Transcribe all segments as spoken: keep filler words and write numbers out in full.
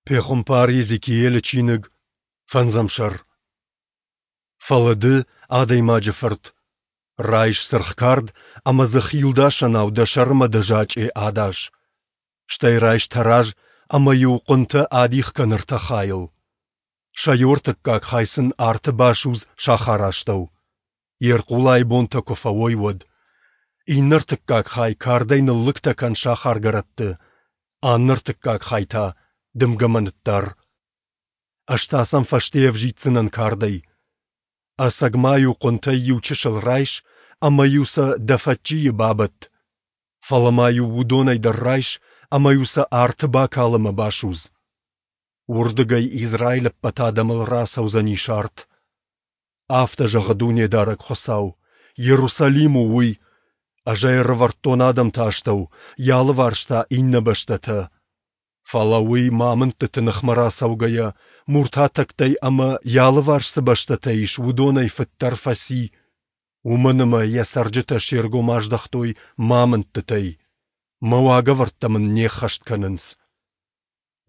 Пехуымпар Йезекиелы чиныг, фӕндзӕм сӕр. Фӕлӕ ды, адӕймаджы фырт, райс цыргъ кард ӕмӕ дзы хилдасӕнау дӕ сӕрмӕ дӕ зачъе адас. Стӕй райс тӕраз ӕмӕ-иу хъуынтӕ адих кӕн ӕртӕ хайыл. Сӕ иу ӕртыккаг хай сын арты басудз сахары астӕу, йе рхъулайы бонтӕ куы фӕуой, уӕд. Иннӕ ӕртыккаг хай кардӕй ныллыгтӕ кӕн сахаргӕрӕтты, аннӕ ӕртыккаг хай та дымгӕмӕ ныддар. Ӕз та сӕм фӕсте ӕвзиддзынӕн кардӕй. Ӕцӕг ма-иу хъуынтӕй иу чысыл райс ӕмӕ-иу сӕ дӕ фӕччийы бабӕтт. Фӕлӕ ма-иу уыдонӕй дӕр райс ӕмӕ-иу сӕ арты бакал ӕмӕ басудз. Уырдыгӕй Израилы ӕппӕт адӕмыл рацӕудзӕнис арт. Афтӕ зӕгъы Дунедарӕг Хуыцау: Иерусалим у уый! Ӕз ӕй ӕрӕвӕрдтон адӕмты астӕу, йӕ алыварс та иннӕ бӕстӕтӕ. Фӕлӕ уый, мӕ амындтыты ныхмӕ рацӕугӕйӕ, муртатӕгтӕй ӕмӕ, йӕ алыварс цы бӕстӕтӕ ис, уыдонӕй фыддӕр фӕци, уымӕн ӕмӕ йӕ цӕрджытӕ се ргом аздӕхтой мӕ амындтытӕй, мӕ уагӕвӕрдтӕ мын не ххӕст кӕнынц.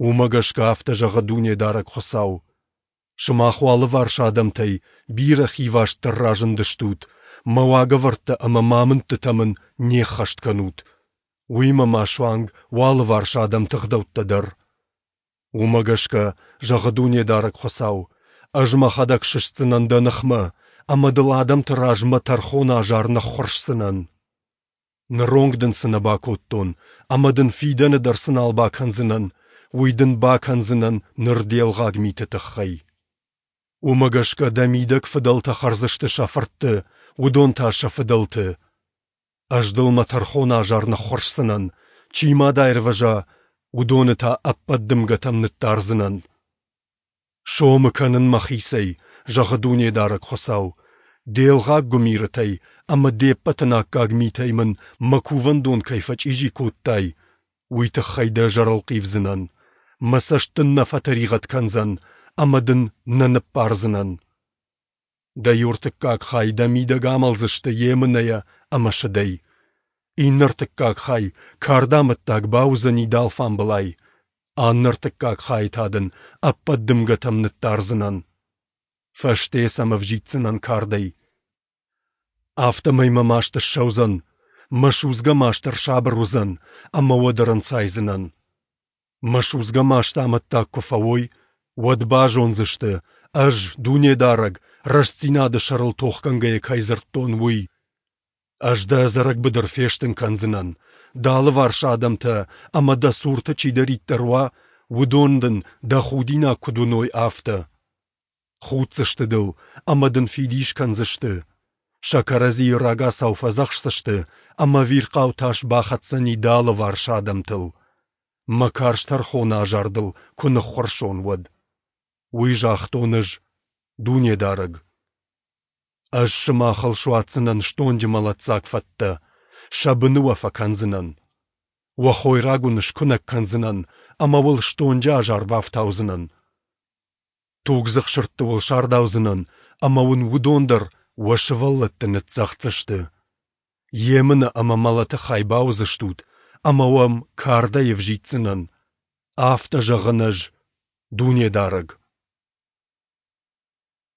Уымӕ гӕсгӕ афтӕ зӕгъы Дунедарӕг Хуыцау: Сымах уӕ алыварс адӕмтӕй бирӕ хивастдӕр разындыстут, мӕ уагӕвӕрдтӕ ӕмӕ мӕ амындтытӕ мын не ххӕст кӕнут, уыимӕ ма суанг уӕ алыварс адӕмты ӕгъдӕуттӕ дӕр. Уымӕ гӕсгӕ, зӕгъы Дунедарӕг Хуыцау, ӕз мӕхӕдӕг сыстдзынӕн дӕ ныхмӕ ӕмӕ дыл адӕмты раз мӕ тӕрхоны азар ныххуырсдзынӕн. Ныронг дын цы нӕ бакодтон ӕмӕ дын фидӕны дӕр цы нал бакӕндзынӕн, уый дын бакӕндзынӕн ныр де лгъаг миты тыххӕй. Уымӕ гӕсгӕ дӕ мидӕг фыдӕлтӕ хӕрдзысты сӕ фыртты, уыдон та сӕ фыдӕлты. Ӕз дыл мӕ тӕрхоны азар ныххуырсдзынӕн, чи ма дӕ аирвӕза, уыдоны та ӕппӕт дымгӕтӕм ныддардзынӕн. Сомы кӕнын мӕхицӕй, зӕгъы Дунедарӕг Хуыцау, де лгъаг гуымирытӕй ӕмӕ де ппӕт ӕнаккаг митӕй мын мӕ кувӕндон кӕй фӕчъизи кодтай, уый тыххӕй дӕ ӕз ӕрӕлхъивдзынӕн, мӕ цӕст дын нӕ фӕтӕригъӕд кӕндзӕн ӕмӕ дын нӕ ныббардзынӕн. Дӕ иу ӕртыккаг хай дӕ мидӕг амӕлдзысты емынӕйӕ ӕмӕ сыдӕй. Иннӕ ӕртыккаг хай кардамӕттаг бауыдзӕни дӕ алфамбылай, аннӕ ӕртыккаг хайы та дын ӕппӕт дымгӕтӕм ныддардзынӕн. Фӕсте сӕм ӕвзиддзынӕн кардӕй. Афтӕмӕй мӕ маст ссӕудзӕн, мӕ судзгӕ маст ӕрсабыр уыдзӕн, ӕмӕ уӕд ӕрӕнцайдзынӕн. Мӕ судзгӕ масты амӕттаг куы фӕуой, уӕд базондзысты, ӕз, Дунедарӕг, рӕстдзинады сӕрыл тохгӕнгӕйӕ кӕй дзырдтон, уый. Ӕз дӕ ӕдзӕрӕг быдыр фестын кӕндзынӕн, дӕ алыварс адӕмтӕ ӕмӕ дӕ цурты чидӕриддӕр уа, уыдон дын дӕ худинаг куыд уыной, афтӕ. Худдзысты дыл ӕмӕ дын фидис кӕндзысты. Сӕ кӕрӕдзийы рагацау фӕдзӕхсдзысты, ӕмӕ ӕвирхъау тас бахӕцдзӕни дӕ алыварс адӕмтыл. Мӕ карз тӕрхоны азар дыл куы ныххуырсон, уӕд. Уый загътон ӕз, Дунедарӕг. Ӕз сымахыл суадздзынӕн стонджы мӕлӕтдзаг фӕттӕ, сӕ быны уӕ фӕкӕндзынӕн. Уӕ хойраг уын скуынӕг кӕндзынӕн ӕмӕ уыл стонджы азар бафтаудзынӕн. Тугдзых сырдты уыл сардаудзынӕн, ӕмӕ уын уыдон дӕр уӕ сывӕллӕтты ныццӕгъддзысты. Емынӕ ӕмӕ мӕлӕты хай бауыдзыстут, ӕмӕ уӕм кардӕй ӕвзиддзынӕн. Афтӕ зӕгъын ӕз, Дунедарӕг.